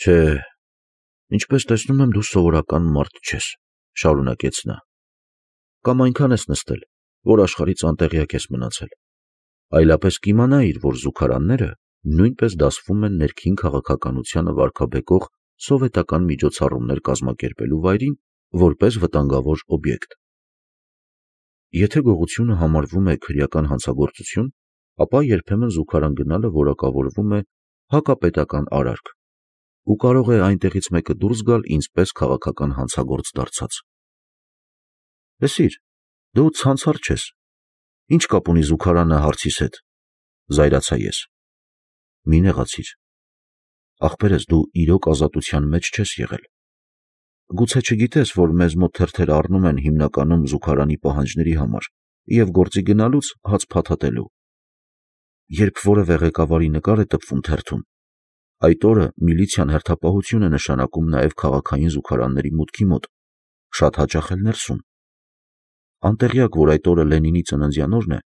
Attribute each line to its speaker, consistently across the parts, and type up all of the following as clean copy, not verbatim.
Speaker 1: Չէ, ինչպես տեսնում եմ, դու սովորական մարդ չես, շարունակեց նա։ Կամ այնքան ես նստել, որ աշխարհից անտեղյակ ես մնացել։ Այլապես կիմանայիր, որ զուգարանները նույնպես դասվում են ներքին քաղաքականությանը վարքաբեկող սովետական միջոցառումներ կազմակերպելու վայրին որպես վտանգավոր օբյեկտ։ Եթե գողությունը համարվում է քրեական հանցագործություն, ապա երբեմն զուգարան գնալը որակավորվում է հակապետական արարք, ու կարող է այնտեղից մեկը դուրս գալ ինձ պես քաղաքական հանցագործ դարձած։ Լսիր, դու ցանցար չես, ինչ կապ ունի զուգարանը հարցիս հետ, զայրացա ես։ Մի նեղացիր, ախպերս, դու իրոք ազատության մեջ չես եղել։ Գուցե չգիտես, որ մեզ մոտ թերթերը առնում են հիմնականում զուգարանի պահանջների համար և գործի գնալուց հաց փաթաթելու։ Երբ որևէ ղեկավարի նկար է տպվում թերթում, այդ օրը միլիցիան հերթապահություն է նշանակում նաև քաղաքային զուգարանների մուտքի մոտ, շատ հաճախ էլ ներսում։ Անտեղյակ, որ այդ օրը Լենինի ծննդյան օրն է,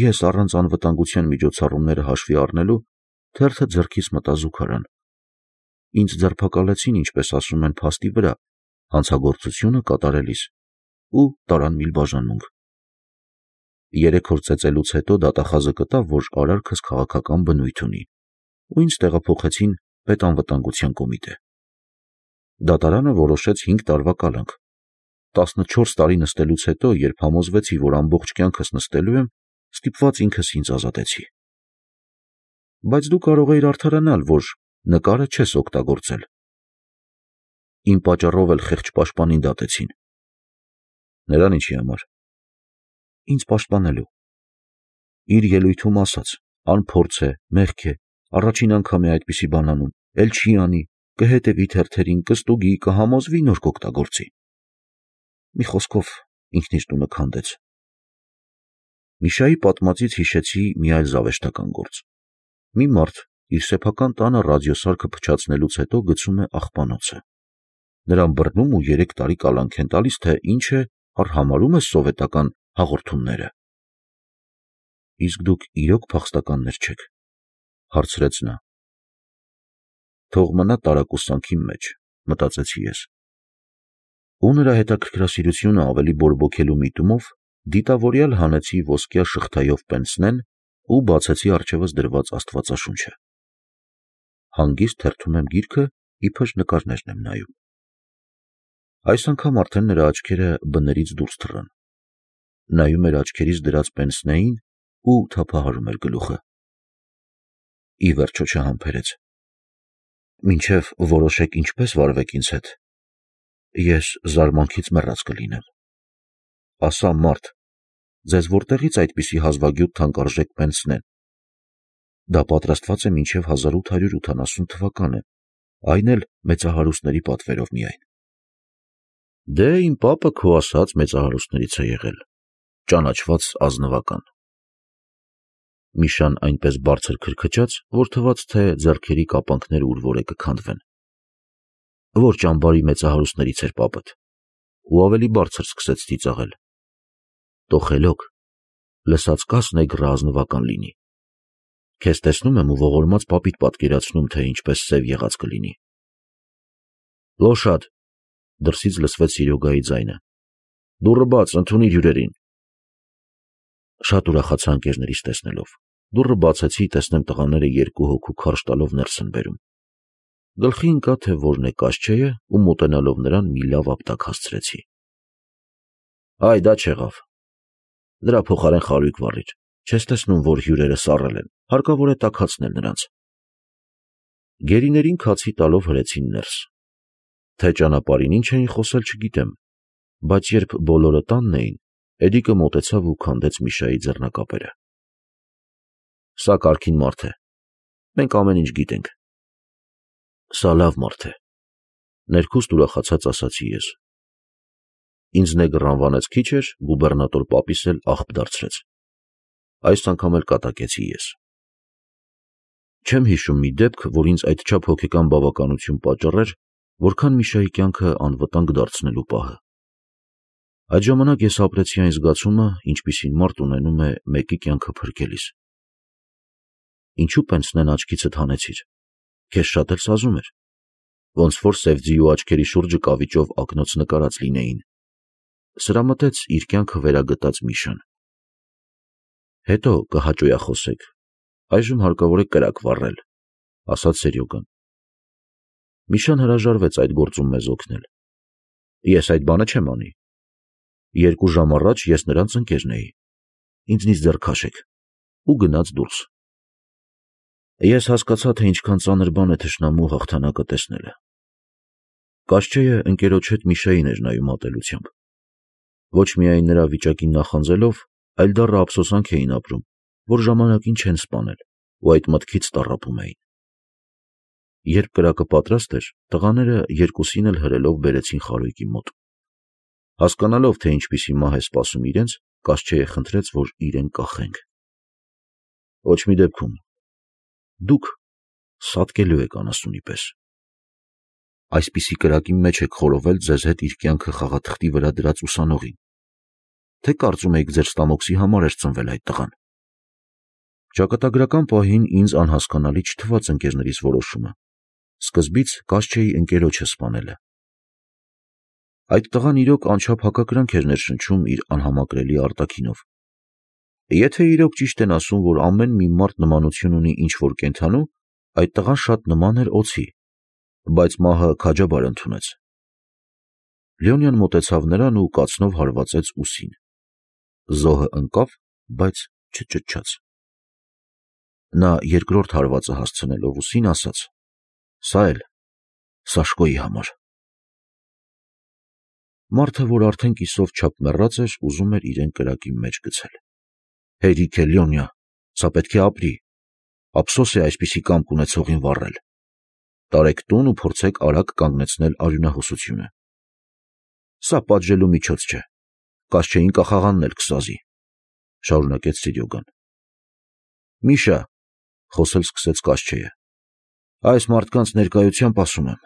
Speaker 1: ես առանց անվտանգության միջոցառումները հաշվի առնելու թերթը ձեռքիս մտա զուգարան։ Ինձ ձերբակալեցին, ինչպես ասում են, փաստի վրա, հանցագործությունը կատարելիս ու տարան միլբաժանմունք։ 3 օր ծեծելուց հետո դատախազը գտավ, որ արարքս քաղաքական բնույթ ունի, ու ինձ տեղափոխեցին պետանվտանգության կոմիտե։ Դատարանը որոշեց 5 տարվա կալանք։ 14 տարի նստելուց հետո, երբ համոզվեցի, որ ամբողջ կյանքս նստելու եմ, ստիպված ինքս ինձ ազատեցի։ Բայց դու կարող էիր արդարանալ, որ նկարը չես օգտագործել։ Իմ պատճառով էլ խեղճ պաշտպանին դատեցին։ Նրան ինչի համար։ Ինձ պաշտպանելու։ Իր ելույթում ասաց, անփորձ է, մեղք է, առաջին անգամ է այդպիսի բան անում, էլ չի անի, կհետևի թերթերին, կստուգի, կհամոզվի, նոր կօգտագործի։ Մի խոսքով, ինքն իր տունը քանդեց։ Միշայի պատմածից հիշեցի մի այլ զավեշտական գործ։ Մի մարդ իր սեփական տանը ռադիոսարքը փչացնելուց հետո գցում է աղբանոցը։ Նրան բռնում ու 3 տարի կալանք են տալիս, թե ինչ է, արհամարհում ես սովետական հաղորդումները։ Իսկ դուք իրոք փախստականներ չեք, հարցրեց նա։ Թող մնա տարակուսանքի մեջ, մտածեցի ես։ Ու նրա հետաքրքրասիրությունը ավելի բորբոքելու միտումով դիտավորյալ հանեցի ոսկյա շղթայով պենսնեն ու բացեցի առջևս դրված աստվածաշունչը։ Հանգիստ թերթում եմ գիրքը, իբր նկարներն եմ նայում։ Այս անգամ արդեն նրա աչքերը բներից դուրս թռան։ Նայում էր աչքերից դրած պենսնեին ու թափահարում էր գլուխը։ Ի վերջո չհամբերեց։ Մինչև որոշեք ինչպես վարվեք ինձ հետ, ես զարմանքից մեռած կլինեմ։ Ասա, մարդ, ձեզ որտեղից այդպիսի հազվագյուտ թանկարժեք պենսնեն։ Դա պատրաստված է մինչև 1880 թվականը, այն էլ մեծահարուստների պատվերով միայն։ Դե իմ պապը քո ասած մեծահարուստներից է եղել, ճանաչված ազնվական։ Միշան այնպես բարձր քրքչաց, որ թվաց, թե ձեռքերի կապանքները ուր որ է կքանդվեն։ Որ ճամբարի մեծահարուստներից էր պապդ, ու ավելի բարձր սկսեց ծիծաղել։ Տոխելոք, լսած կաս նեգրը ազնվական լինի։ Քեզ տեսնում եմ ու ողորմած պապիդ պատկերացնում, թե ինչպես սև եղած կլինի։ Լոշադ, դրսից լսվեց Սիրյոգայի ձայնը։ Դուռը բաց, ընդունիր հյուրերին։ Շատ ուրախացա ընկերներիս տեսնելով։ Դուռը բացեցի, տեսնեմ տղաները 2 հոգու քարշ տալով ներս են բերում։ Գլխի ընկա, թե որն է Կասչեյը, ու մոտենալով նրան մի լավ ապտակ հասցրեցի։ Այ դա չեղավ։ Դրա փոխարեն խարույկ վառիր։ Չես տեսնում, որ հյուրերը սառել են, հարկավոր է տաքացնել նրանց։ Գերիներին քացի տալով հրեցին ներս։ Թե ճանապարհին ինչ էին խոսել չգիտեմ, բայց երբ բոլորը տանն էին, Էդիկը մոտեցավ ու քանդեց Միշայի ձեռնակապերը։ Սա կարգին մարդ է։ Մենք ամեն ինչ գիտենք։ Սա լավ մարդ է։ Ներքուստ ուրախացած ասացի ես։ Ինձ նեգր անվանեց քիչ էր, գուբերնատոր պապիս էլ աղբ դարձրեց։ Այս անգամ էլ կատակեցի ես։ Չեմ հիշում մի դեպք, որ ինձ այդչափ հոգեկան բավականություն պատճառեր, որքան Միշայի կյանքը անվտանգ դարձնելու պահը։ Այդ ժամանակ ես ապրեցի այն զգացումը, ինչպիսին մարդ ունենում է մեկի կյանքը փրկելիս։ Ինչու պենսնեն աչքիցդ հանեցիր։ Քեզ շատ էլ սազում էր։ ոնց որ սև ձիու աչքերի շուրջը կավիճով ակնոց նկարած լինեին։ Սրա մտեց իր կյանքը վերագտած Միշան։ Հետո կհաճոյախոսեք, այժմ հարկավոր է կրակ վառել, ասաց Սերյոգան։ Միշան հրաժարվեց այդ գործում մեզ օգնել։ Ես այդ բանը չեմ անի։ 2 ժամ առաջ ես նրանց ընկերն էի։ Ինձնից ձեռք քաշեք։ Ու գնաց դուրս։ Ես հասկացա, թե ինչքան ծանր բան է թշնամու հաղթանակը տեսնելը։ Կաշչեյը ընկերոջ հետ Միշային էր նայում ատելությամբ։ Ոչ միայն նրա վիճակին նախանձելով, այլ դառը ափսոսանք էին ապրում, որ ժամանակին չեն սպանել ու այդ մտքից տառապում էին։ Երբ կրակը պատրաստ էր, տղաները երկուսին էլ հրելով բերեցին խարույկի մոտ։ Հասկանալով, թե ինչպիսի մահ է սպասում իրենց, Կաշչեյը խնդրեց, որ իրեն կախենք։ Ոչ մի դեպքում։ Դուք սատկելու եք անասունի պես։ Այսպիսի կրակի մեջ եք խորովել ձեզ հետ իր կյանքը խաղաթղթի վրա դրած ուսանողին։ Թե կարծում եք ձեր ստամոքսի համար էր ծնվել այդ տղան։ Ճակատագրական պահին ինձ անհասկանալի չթվաց ընկերներիս որոշումը։ Սկզբից Կաշչեյի ընկերոջը սպանելը։ Այդ տղան իրոք անչափ հակակրանք էր ներշնչում իր անհամակրելի արտաքինով։ Եթե իրոք ճիշտ են ասում, որ ամեն մի մարդ նմանություն ունի ինչ-որ կենդանու, այդ տղան շատ նման էր օձի, բայց մահը քաջաբար ընդունեց։ Լեոնյան մոտեցավ նրան ու կացնով հարվածեց ուսին։ Զոհը ընկավ, բայց չճչաց։ Նա երկրորդ հարվածը հասցնելով ուսին ասաց. «Սա էլ Սաշկոյի համար»։ Մարդը, որ արդեն կիսով չափ մեռած էր, ուզում էր իրեն կրակի մեջ գցել։ Հերիք է, Լյոնյա, սա պետք է ապրի։ Ափսոս է այսպիսի կամք ունեցողին վառել։ Տարեք տուն ու փորձեք արագ կանգնեցնել արյունահոսությունը։ Սա պատժելու միջոց չէ։ Կաշչեին կախաղանն էլ կսազի, շարունակեց Սիրյոգան։ Միշա, խոսել սկսեց Կաշչեյը, այս մարդկանց ներկայությամբ ասում եմ,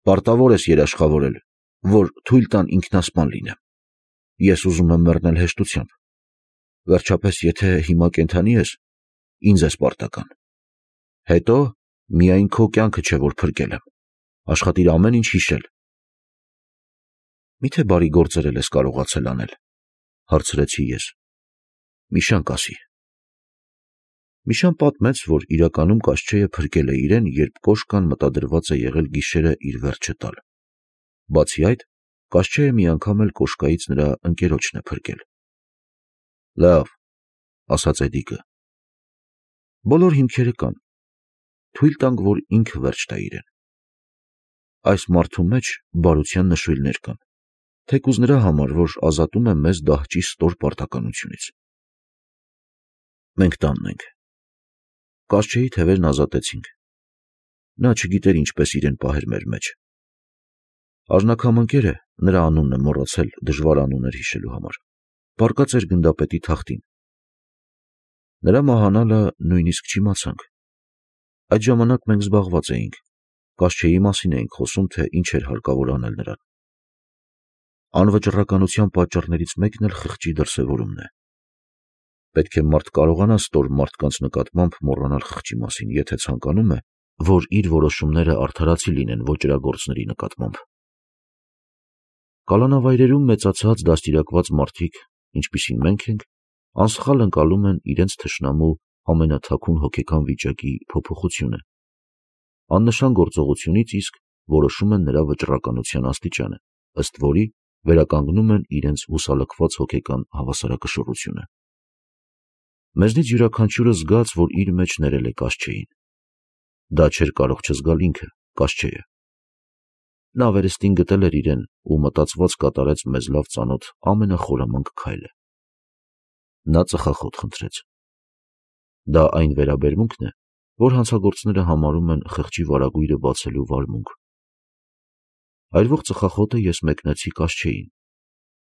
Speaker 1: պարտավոր ես երաշխավորել, որ թույլ տան ինքնասպան լինեմ։ Ես ուզում եմ մեռնել հեշտությամբ։ Վերջապես, եթե հիմա կենդանի ես, ինձ ես պարտական։ Հետո միայն քո կյանքը չէ, որ փրկել եմ։ Աշխատիր ամեն ինչ հիշել։ Միթե բարի գործեր ես կարողացել անել, հարցրեցի ես։ Միշան կասի։ Միշան պատմեց, որ իրականում Կաշչեյը փրկել է իրեն, երբ կոշկան մտադրված է եղել գիշերը իր վերջը տալ։ Բացի այդ, Կաշչեյը մի անգամ էլ կոշկայից նրա ընկերոջն է փրկել։ Լավ, ասաց Էդիկը։ Բոլոր հիմքերը կան։ Թույլ տանք, որ ինքը վերջ տա իրեն։ Այս մարդու մեջ բարության նշույլներ կան, թեկուզ նրա համար, որ ազատում է մեզ դահճի ստոր պարտականությունից։ Մենք տանն ենք։ Կաշչեյի թևերն ազատեցինք։ Նա չգիտեր ինչպես իրեն պահեր մեր մեջ։ Արժանաքամ ընկերը, նրա անունն է մոռացել դժվար անուններ հիշելու համար, պառկած էր գնդապետի թախտին։ Նրա մահանալը նույնիսկ չիմացանք։ Այդ ժամանակ մենք զբաղված էինք, Կաշչեյի մասին էինք խոսում, թե ինչ էր հարկավոր անել նրան։ Անվճռականության պատճառներից մեկն էլ խղճի դրսևորումն է։ Պետք է մարդ կարողանա ստոր մարդկանց նկատմամբ մոռանալ խղճի մասին, եթե ցանկանում է, որ իր որոշումները արդարացի լինեն ոճրագործների նկատմամբ։ Կալանավայրերում մեծացած դաստիարակված մարդիկ, ինչպիսին մենք ենք, անսխալ ընկալում են իրենց թշնամու ամենաթաքուն հոգեկան վիճակի փոփոխությունը։ Աննշան գործողությունից իսկ որոշում են նրա վճռականության աստիճանը, ըստ որի վերականգնում են իրենց հուսալքված հոգեկան հավասարակշռությունը։ Մեզնից յուրաքանչյուրը զգաց, որ իր մեջ ներել է Կաշչեյին։ Դա չէր կարող չզգալ ինքը, Կաշչեյը։ Նա վերստին գտել էր իրեն ու մտածված կատարեց մեզ լավ ծանոթ ամենախորամանկ քայլը։ Նա ծխախոտ խնդրեց։ Դա այն վերաբերմունքն է, որ հանցագործները համարում են խղճի վարագույրը բացելու վարմունք։ Այրվող ծխախոտը ես մեկնեցի Կաշչեյին։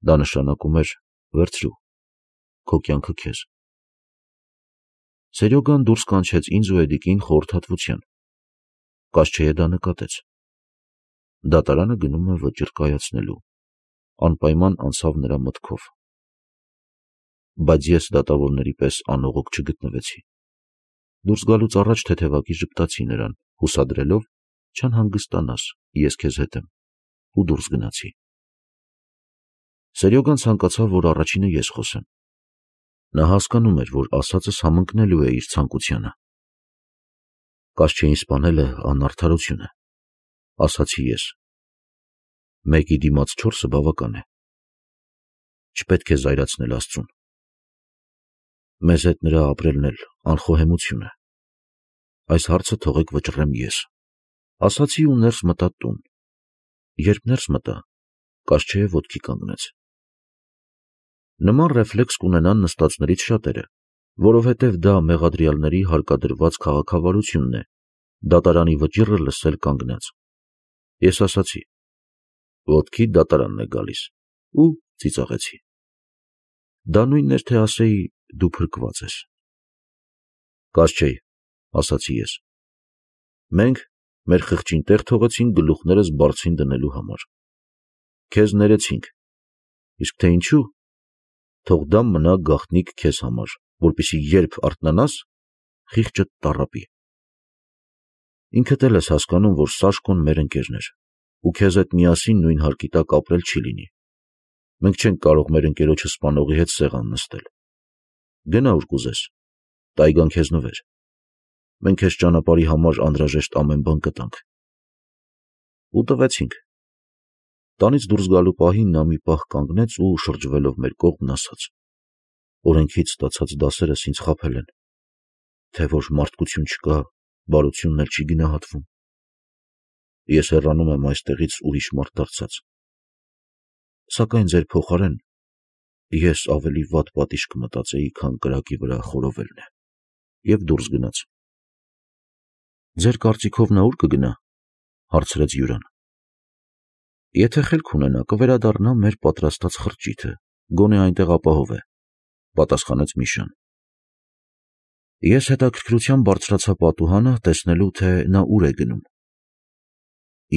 Speaker 1: Դա նշանակում էր վերցրու, քո կյանքը քեզ։ Սերյոգան դուրս կանչեց ինձ ու Էդիկին խորհրդատվության։ Կաշչեյը դա նկատեց։ Դատարանը գնում է վճիռ կայացնելու, անպայման անցավ նրա մտքով։ Բայց ես դատավորների պես անողոք չգտնվեցի։ Դուրս գալուց առաջ թեթևակի ժպտացի նրան, հուսադրելով, չանհանգստանաս, ես քեզ հետ եմ, ու դուրս գնացի։ Սերյոգան ցանկացավ, որ առաջինը ես խոսեմ։ Նա հասկանում էր, որ ասածս համընկնելու է իր ցանկությանը։ Կասչեին սպանելը անարդարություն է, ասացի ես։ Մեկի դիմաց 4-ը բավական է։ Չպետք է զայրացնել Աստծուն։ Մեզ հետ նրա ապրելն էլ անխոհեմություն է։ Այս հարցը թողեք վճռեմ ես, ասացի ու ներս մտա տուն։ Երբ ներս մտա, Կասչեյը ոտքի կանգնեց։ Նման ռեֆլեքս կունենան նստածներից շատերը, որովհետև դա մեղադրյալների հարկադրված քաղաքավարությունն է, դատարանի վճիռը լսել կանգնած։ Ես ասացի. ոտքի դատարանն է գալիս, ու ծիծաղեցի։ Դա նույնն էր, թե ասեի, դու փրկված ես։ Կասչեյ, ասացի ես, մենք մեր խղճին տեղ թողեցինք գլուխներս բարձին դնելու համար։ Քեզ ներեցինք, իսկ թե ինչու, թող դա մնա գաղտնիք քեզ համար, որպեսզի երբ արթնանաս, խիղճը տառապի։ Ինքդ էլ ես հասկանում, որ Սաշկոն մեր ընկերն էր, ու քեզ հետ միասին նույն հարկի տակ ապրել չի լինի։ Մենք չենք կարող մեր ընկերոջը սպանողի հետ սեղան նստել։ Գնա ուր կուզես, տայգան քեզ նվեր։ Մենք քեզ ճանապարհի համար անհրաժեշտ ամեն բան կտանք։ Ու տվեցինք։ Տանից դուրս գալու պահին նա մի պահ կանգնեց ու շրջվելով մեր կողմն ասաց. օրենքից ստացած դասերս ինձ խաբել են, թե որ մարդկություն չկա, բարությունն էլ չի գնահատվում։ Ես հեռանում եմ այստեղից ուրիշ մարդ դարձած։ Սակայն ձեր փոխարեն ես ավելի վատ պատիժ կմտածեի, քան կրակի վրա խորովելն է։ Եվ դուրս գնաց։ Ձեր կարծիքով նա ուր կգնա, հարցրեց Յուրան։ Եթե խելք ունենա, կվերադառնա մեր պատրաստած խրճիթը, գոնե այնտեղ ապահով է, պատասխանեց Միշան։ Ես հետաքրքրությամբ բարձրացա պատուհանը, տեսնելու, թե նա ուր է գնում։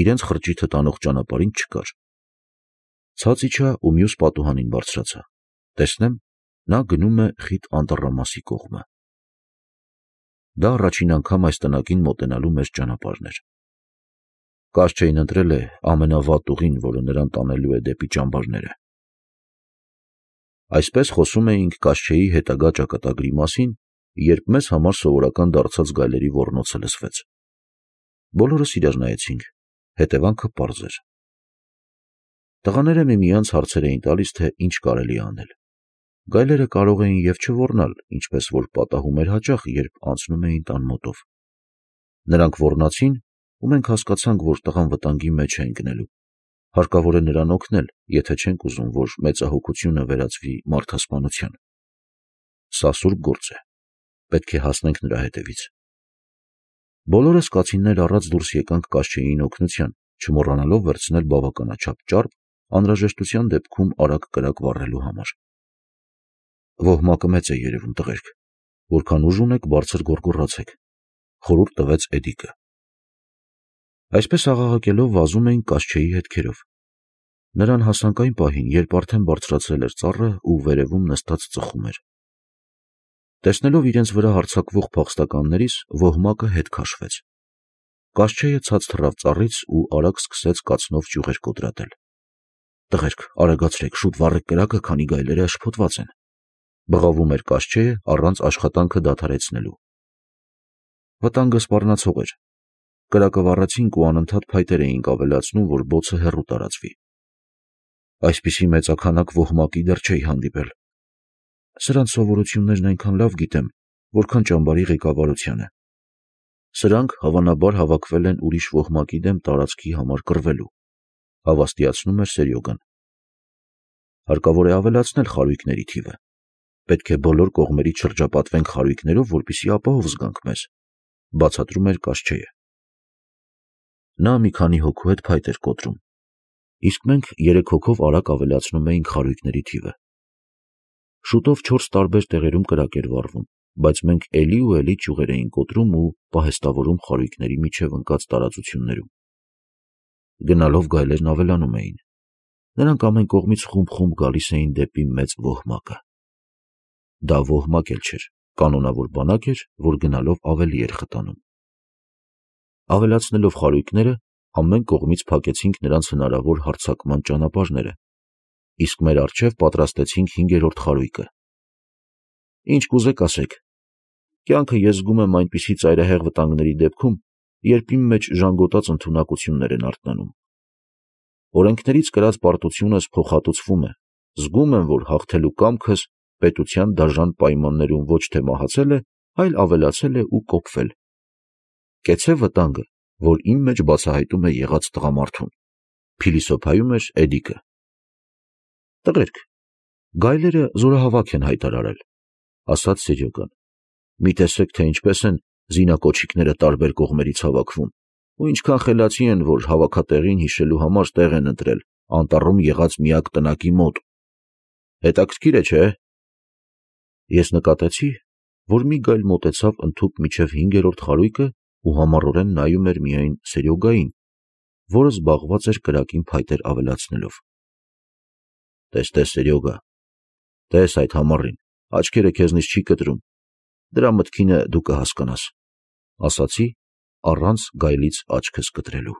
Speaker 1: Իրենց խրճիթը տանող ճանապարհին չկար։ Ցած իջա ու մյուս պատուհանին բարձրացա։ Տեսնեմ, նա գնում է խիտ անտառամասի կողմը։ Դա առաջին անգամ այս տնակին մոտենալու մեր ճանապարհն էր։ Կասչեյն ընտրել է ամենավատ ուղին, որը նրան տանելու է դեպի ճամբարները։ Այսպես խոսում էինք Կասչեյի հետագա ճակատագրի մասին, երբ մեզ համար սովորական դարձած գայլերի ոռնոցը լսվեց։ Բոլորս իրար նայեցինք, հետևանքը պարզ էր։ Տղաները միմյանց հարցեր էին տալիս, թե ինչ կարելի անել։ Գայլերը կարող էին և չոռնալ, ինչպես որ պատահում էր հաճախ, երբ անցնում էին տան մոտով։ Նրանք ոռնացին, ու մենք հասկացանք, որ տղան վտանգի մեջ է ընկնելու։ Հարկավոր է նրան օգնել, եթե չենք ուզում, որ մեծահոգությունը վերածվի մարդասպանության։ Սա սուրբ գործ է, պետք է հասնենք նրա հետևից։ Բոլորս կացիններ առած դուրս եկանք Կասչեյին օգնության, չմոռանալով վերցնել բավականաչափ ճարպ, անհրաժեշտության դեպքում արագ կրակ վառելու համար։ Ոհմակը մեծ է երևում, տղերք, որքան ուժ ունեք, բարձր գոռգոռացեք, խորհուրդ տվեց Էդիկը։ Այսպես աղաղակելով վազում էինք Կասչեյի հետքերով։ Նրան հասանք այն պահին, երբ արդեն բարձրացել էր ծառը ու վերևում նստած ծխում էր։ Տեսնելով իրենց վրա հարձակվող փախստականներից, ոհմակը հետ քաշվեց։ Կասչեյը ցած թռավ ծառից ու արագ սկսեց կացնով ճյուղեր կոտրատել։ Տղերք, արագացրեք, շուտ վառեք կրակը, քանի գայլերը շփոթված են։ Բղավում էր Կասչեյը առանց աշխատանքը դադարեցնելու։ Վտանգը սպառնացող էր։ Կրակը վառեցինք ու անընդհատ փայտեր էինք ավելացնում, որ բոցը հեռու տարածվի։ Այսպիսի մեծաքանակ ոհմակի դեռ չէի հանդիպել։ Սրանց սովորություններն այնքան լավ գիտեմ, որքան ճամբարի ղեկավարությանը։ Սրանք հավանաբար հավաքվել են ուրիշ ոհմակի դեմ տարածքի համար կռվելու, հավաստիացնում էր Սերյոգան։ Հարկավոր է ավելացնել խարույկների թիվը։ Պետք է բոլոր կողմերից շրջապատվենք խարույկներով, որպեսզի ապահով զգանք մեզ, բացատրում էր Կասչեյը։ Նա մի քանի հոգու հետ փայտ էր կոտրում, իսկ մենք 3 հոգով արագ ավելացնում էինք խարույկների թիվը։ Շուտով 4 տարբեր տեղերում կրակ էր վառվում, բայց մենք էլի ու էլի ճյուղեր էինք կոտրում ու պահեստավորում խարույկների միջև ընկած տարածություններում։ Գնալով գայլերն ավելանում էին։ Նրանք ամեն կողմից խումբ-խումբ գալիս էին դեպի մեծ ոհմակը։ Դա ոհմակ էլ չէր, կանոնավոր բանակ էր, որ գնալով ավելի էր խտանում։ Ավելացնելով խարույկները, ամեն կողմից փակեցինք նրանց հնարավոր հարձակման ճանապարհները, իսկ մեր առջև պատրաստեցինք 5-րդ խարույկը։ Ինչ կուզեք ասեք, կյանքը ես զգում եմ այնպիսի ծայրահեղ վտանգների դեպքում, երբ իմ մեջ ժանգոտած ընդունակություններ են արթնանում։ Օրենքներից կրած պարտությունս փոխհատուցվում է, զգում եմ, որ հաղթելու կամքս պետության դաժան պայմաններում ոչ թե մահացել է, այլ ավելացել է ու կոփվել։ Կեցցե վտանգը, որ իմ մեջ բացահայտում է եղած տղամարդուն, փիլիսոփայում էր Էդիկը։ Տղերք, գայլերը զորահավաք են հայտարարել, ասաց Սերյոգան։ Մի տեսեք, թե ինչպես են զինակոչիկները տարբեր կողմերից հավաքվում, ու ինչքան խելացի են, որ հավաքատեղին հիշելու համար տեղ են ընտրել անտառում եղած միակ տնակի մոտ։ Հետաքրքիր է, չէ՞։ Ես նկատեցի, որ մի գայլ մոտեցավ ընդհուպ մինչև 5-րդ խարույկը ու համառորեն նայում էր միայն Սերյոգային, որը զբաղված էր կրակին փայտեր ավելացնելով։ Տես, Սերյոգա, տես այդ համառին, աչքերը քեզնից չի կտրում, դրա մտքինը դու կհասկանաս, ասացի, առանց գայլից աչքս կտրելու։